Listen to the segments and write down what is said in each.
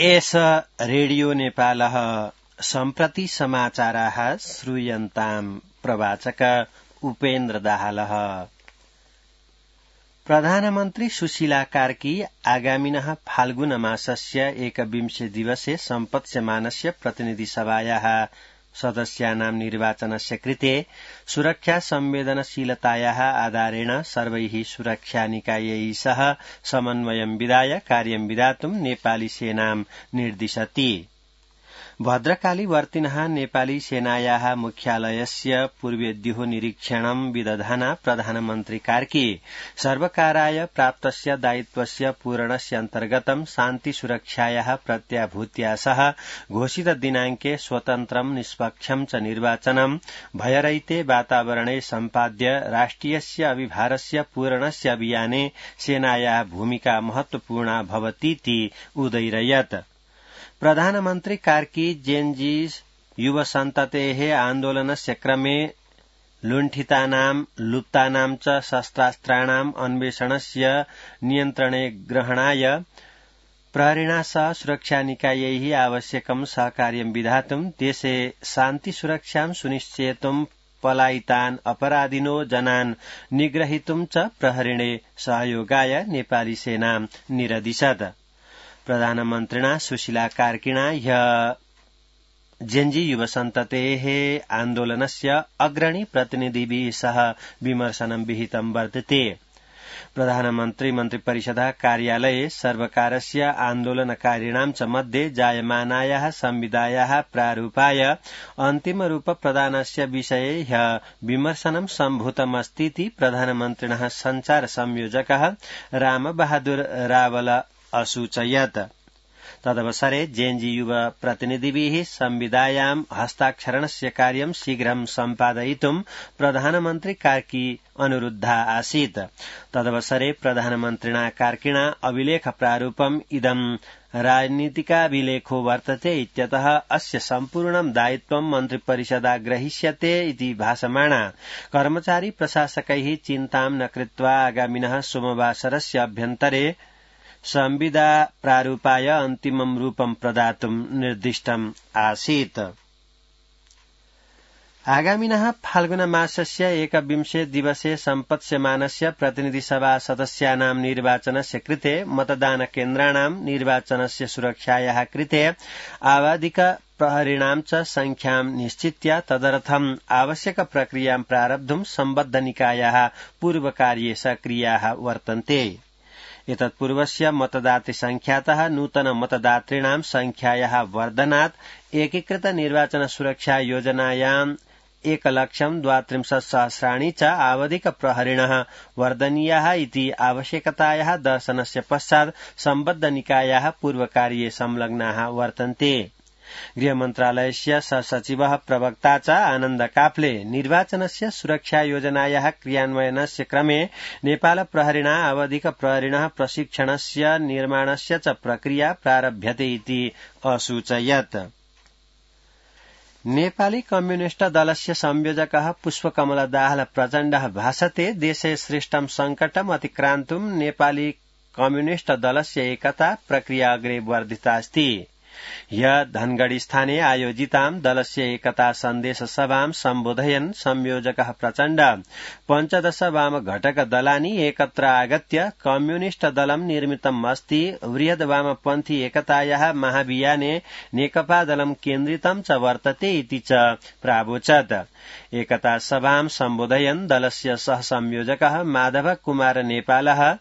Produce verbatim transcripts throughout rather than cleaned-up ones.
एष रेडियो नेपालः सम्प्रति समाचाराः श्रूयन्ताम् प्रवाचक उपेन्द्र दाहालः। प्रधानमन्त्री सुशीला कार्की आगामिनः फाल्गुन मासस्य एकविंशे दिवसे सम्पत्स्यमानस्य प्रतिनिधिसभायाः सदस्यानां निर्वाचनस्य कृते सुरक्षा संवेदनशीलतायाः आधारेण सर्वैः सुरक्षानिकायैः सह समन्वयं विधाय कार्यं विधातुं नेपाली सेनां निर्दिशति। भद्रकालीवर्तिनः नेपाली सेनायाः मुख्यालयस्य पूर्वेद्युः निरीक्षणं विदधाना प्रधानमन्त्री कार्की सर्वकाराय प्राप्तस्य दायित्वस्य पूरणस्य अन्तर्गतं शान्तिसुरक्षायाः प्रत्याभूत्या सह घोषित दिनाङ्के स्वतन्त्रं निष्पक्षं च निर्वाचनं भयरहिते वातावरणे सम्पाद्य राष्ट्रियस्य अभिभारस्य पूरणस्य अभियाने सेनायाः भूमिका महत्वपूर्णा भवतीति उदयिरयत्। प्रधानमन्त्री कार्की जेनजी युवसन्ततेः आन्दोलनस्य क्रमे लुण्ठितानां लुप्तानां च शस्त्रास्त्राणाम् अन्वेषणस्य नियन्त्रणे ग्रहणाय प्रहरिणा सह सुरक्षानिकायैः आवश्यकं सहकार्यं विधातुं देशे शान्तिसुरक्षां सुनिश्चेतुं पलायितान् अपराधिनो जनान् निग्रहीतुं च प्रहरिणे सहयोगाय नेपाली सेनां निरदिशत्। प्रधानमन्त्रिणा सुशीला कार्किणा ह्यः जेनजी युवसन्ततेः आन्दोलनस्य अग्रणी प्रतिनिधिभिः सह विमर्शनं विहितं वर्तते। प्रधानमन्त्री मन्त्रिपरिषदः कार्यालये सर्वकारस्य आन्दोलनकारिणां च मध्ये जायमानायाः संविदायाः प्रारूपाय अन्तिमरूप प्रदानस्य विषये ह्यः विमर्शनं सम्भूतमस्तीति प्रधानमन्त्रिणः सञ्चार संयोजकः रामबहादुर रावल असूचयत्। तदवसरे जेनजी युव प्रतिनिधिभिः संविदायां हस्ताक्षरणस्य कार्यं शीघ्रं सम्पादयितुं प्रधानमन्त्री कार्की अनुरुद्धा आसीत्। तदवसरे प्रधानमन्त्रिणा कार्किणा अभिलेख प्रारूपम् इदं राजनीतिकाभिलेखो वर्तते इत्यतः अस्य सम्पूर्णं दायित्वं मन्त्रिपरिषदा ग्रहीष्यते इति भासमाना कर्मचारी प्रशासकैः चिन्तां न कृत्वा आगामिनः सोमवासरस्य अभ्यन्तरे संविदा प्रारूपाय अन्तिमं रूपं प्रदातुं निर्दिष्टम् आसीत्। आगामिनः फाल्गुन मासस्य एकविंशे दिवसे सम्पत्स्यमानस्य प्रतिनिधिसभा सदस्यानां निर्वाचनस्य कृते मतदान केन्द्राणां निर्वाचनस्य सुरक्षायाः कृते आवधिक प्रहरिणां च संख्यां निश्चित्य तदर्थम् आवश्यक प्रक्रियां प्रारब्धुं सम्बद्ध निकायाः पूर्वकार्ये सक्रियाः वर्तन्ते। एतत्पूर्वस्य मतदातृ संख्यातः नूतन मतदातॄणां संख्यायाः वर्धनात् एकीकृत निर्वाचन सुरक्षा योजनायाम् एकलक्षं द्वात्रिंशत् सहस्राणि च आवधिक प्रहरिणः वर्धनीयाः इति आवश्यकतायाः दर्शनस्य पश्चात् सम्बद्ध निकायाः पूर्वकार्ये संलग्नाः वर्तन्ते। गृहमन्त्रालयस्य सहसचिवः प्रवक्ता च आनन्द काफ्ले निर्वाचनस्य सुरक्षा योजनायाः क्रियान्वयनस्य क्रमे नेपाल प्रहरिणा आवधिक प्रहरिणः प्रशिक्षणस्य निर्माणस्य च प्रक्रिया प्रारभ्यते इति असूचयत्। नेपाली कम्युनिष्ट दलस्य संयोजकः पुष्पकमल दाहाल प्रचण्डः भाषते देशे श्रेष्ठं संकटम् अतिक्रान्तुं नेपाली कम्युनिष्ट दलस्य एकता प्रक्रिया अग्रे वर्धितास्ति। ह्यः धनगढ़ी स्थाने आयोजितां दलस्य एकता सन्देश सभां सम्बोधयन् संयोजकः प्रचण्ड पञ्चदश वाम घटक दलानि एकत्र आगत्य कम्युनिष्ट दलं निर्मितम् अस्ति, वृहद् वामपन्थी एकतायाः महाभियाने नेकपा दलं केन्द्रितं च वर्तते इति च प्रावोचत्। एकता सभां सम्बोधयन् दलस्य सह संयोजकः माधव कुमार नेपालः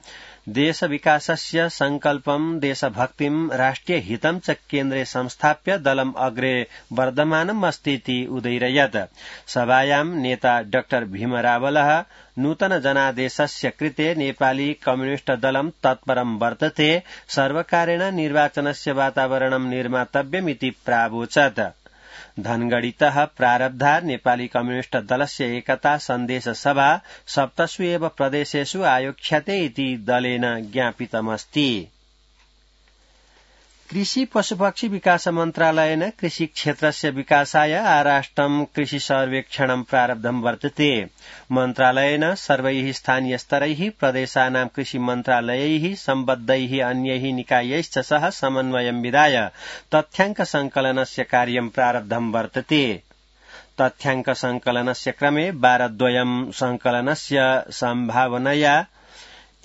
देश विकासस्य संकल्पं देशभक्तिं राष्ट्रिय हितं च केन्द्रे संस्थाप्य दलम् अग्रे वर्धमानम् अस्तीति उदयिरयत्। सभायां नेता डाक्टर भीम रावलः नूतन जनादेशस्य कृते नेपाली कम्युनिष्ट दलं तत्परं वर्तते, सर्वकारेण निर्वाचनस्य वातावरणं निर्मातव्यमिति प्रावोचत्। धनगढ़ीतः प्रारब्धा नेपाली कम्युनिष्ट दलस्य एकता सन्देश सभा सप्तसु एव प्रदेशेषु आयोक्ष्यते इति दलेन ज्ञापितमस्ति। कृषि पशुपक्षी विकास मन्त्रालयेन कृषि क्षेत्रस्य विकासाय आराष्ट्रं कृषि सर्वेक्षणं प्रारब्धं वर्तते। मन्त्रालयेन सर्वैः स्थानीयस्तरैः प्रदेशानां कृषि मन्त्रालयैः सम्बद्धैः अन्यैः निकायैश्च सह समन्वयं विधाय तथ्याङ्क संकलनस्य कार्यं प्रारब्धं वर्तते। तथ्याङ्क संकलनस्य क्रमे वारद्वयं संकलनस्य सम्भावनया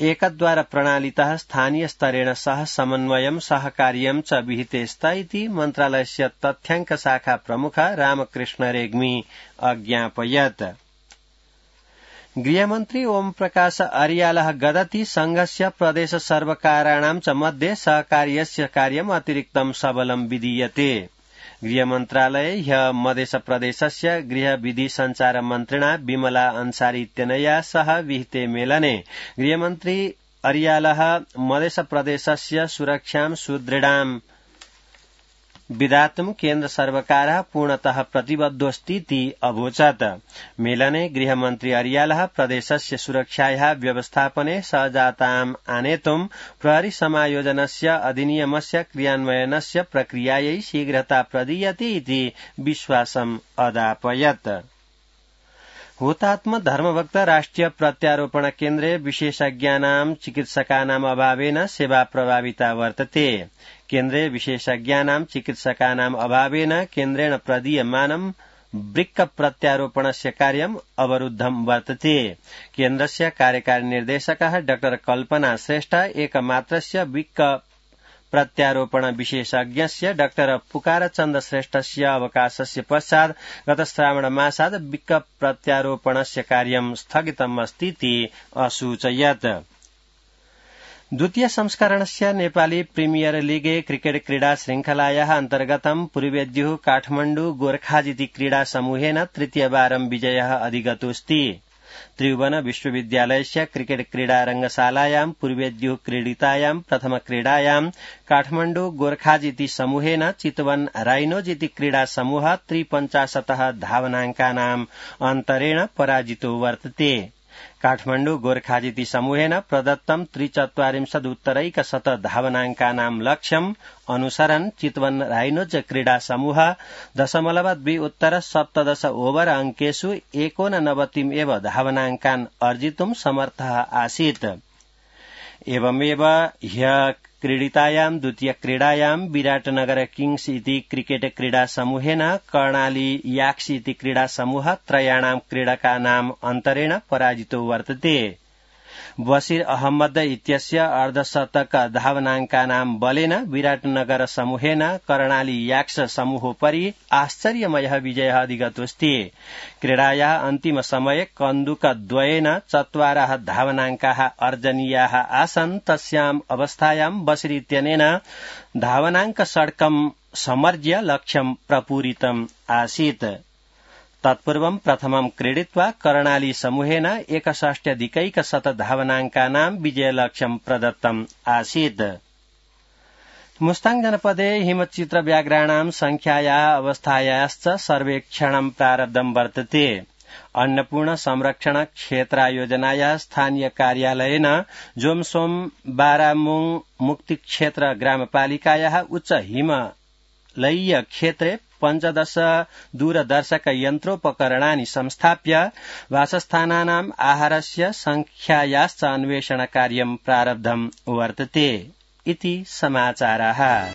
एकद्वार प्रणालीतः स्थानीय स्तरेण सह समन्वयं सहकार्यं च विहिते स्त इति मन्त्रालयस्य तथ्याङ्क शाखा प्रमुख रामकृष्ण रेग्मी अज्ञापयत्। गृहमन्त्री ओम प्रकाश अर्यालः गदति संघस्य प्रदेश सर्वकाराणां च मध्ये सहकार्यस्य कार्यम् अतिरिक्तं सबलं विधीयते। गृहमन्त्रालये ह्यः मध्यप्रदेशस्य गृह विधि संचार मन्त्रिणा विमला अंसारी इत्यनया सह विहिते मेलने गृहमन्त्री अर्यालः मध्यप्रदेशस्य सुरक्षां सुदृढां विधातुं केन्द्र सर्वकारः पूर्णतः प्रतिबद्धोऽस्तीति अवोचत्। मेलने गृहमन्त्री अर्यालः प्रदेशस्य सुरक्षायाः व्यवस्थापने सहजताम् आनेतुं प्रहरी समायोजनस्य अधिनियमस्य क्रियान्वयनस्य प्रक्रियायै शीघ्रता प्रदीयते इति विश्वासम् अदापयत्। हुतात्म धर्मभक्त राष्ट्रिय प्रत्यारोपण केन्द्रे विशेषज्ञानां चिकित्सकानाम् अभावेन सेवा प्रभाविता वर्तते। केन्द्रे विशेषज्ञानां चिकित्सकानाम् अभावेन केन्द्रेण प्रदीयमानं वृक्क प्रत्यारोपणस्य कार्यम् अवरुद्धं वर्तते। केन्द्रस्य कार्यकारी निर्देशकः डॉ कल्पना श्रेष्ठ एकमात्रस्य वृक्क प्रत्यारोपण विशेषज्ञस्य डॉ पुकारचन्द श्रेष्ठस्य अवकाशस्य पश्चात् गत श्रावण मासात् वृक्क प्रत्यारोपणस्य कार्यं स्थगितम् अस्तीति असूचयत्। द्वितीय संस्करणस्य नेपाली प्रीमियर लीग क्रिकेट क्रीडा श्रृंखलायाः अन्तर्गतं पूर्वेद्युः काठमाण्डु गोर्खाजिति क्रीडा समूहेन तृतीयवारं विजयः अधिगतोऽस्ति। त्रिभुवन विश्वविद्यालयस्य क्रिकेट क्रीडा रंगशालायां पूर्वेद्युः क्रीडितायां प्रथम क्रीडायां काठमाण्डु गोर्खाजिति समूहेन चितवन राइनोजिति क्रीडा समूह त्रिपञ्चाशतः धावनाङ्कानाम् अन्तरेण पराजितो वर्तते। काठमाण्डु गोर्खाजिति समूहेन प्रदत्तं त्रिचत्वारिंशदुत्तरैकशत धावनाङ्कानां लक्ष्यम् अनुसरन् चितवन राइनोज क्रीडा समूह दशमलव द्वि उत्तर सप्तदश ओवर अंकेषु एकोननवतिम् एव धावनाङ्कान् अर्जितुं समर्थः आसीत्। एवमेव ह्यः क्रीडितायां द्वितीय क्रीडायां विराटनगर किंग्स इति क्रिकेट क्रीडा समूहेन कर्णाली याक्स इति क्रीडा समूह त्रयाणां क्रीडकानाम् अन्तरेण पराजितो वर्तते। बशीर अहमद इत्यस्य अर्धशतक धावनाङ्कानां बलेन विराटनगर समूहेन कर्णाली याक्स समूहोपरि आश्चर्यमयः विजयः अधिगतोऽस्ति। क्रीडायाः अन्तिम समये कन्दुकद्वयेन चत्वारः धावनाङ्काः अर्जनीयाः आसन्। तस्याम् अवस्थायां बशीर इत्यनेन धावनाङ्क षड्कं समर्ज्य लक्ष्यं प्रपूरितम् आसीत्। तत्पूर्वं प्रथमं क्रीडित्वा कर्णाली समूहेन एकषष्ट्यधिकैकशत धावनाङ्कानां विजयलक्ष्यं प्रदत्तम् आसीत्। मुस्ताङ जनपदे हिमचित्रव्याघ्राणां संख्यायाः अवस्थायाश्च सर्वेक्षणं प्रारब्धं वर्तते। अन्नपूर्ण संरक्षण क्षेत्रायोजनायाः स्थानीय कार्यालयेन जोमसोम बारामुङ मुक्ति क्षेत्र ग्रामपालिकायाः उच्च हिमालयीय क्षेत्रे पञ्चदश दूरदर्शक यन्त्रोपकरणानि संस्थाप्य वासस्थानानाम् आहारस्य संख्यायाश्च अन्वेषण कार्यं प्रारब्धं वर्तते इति समाचाराः।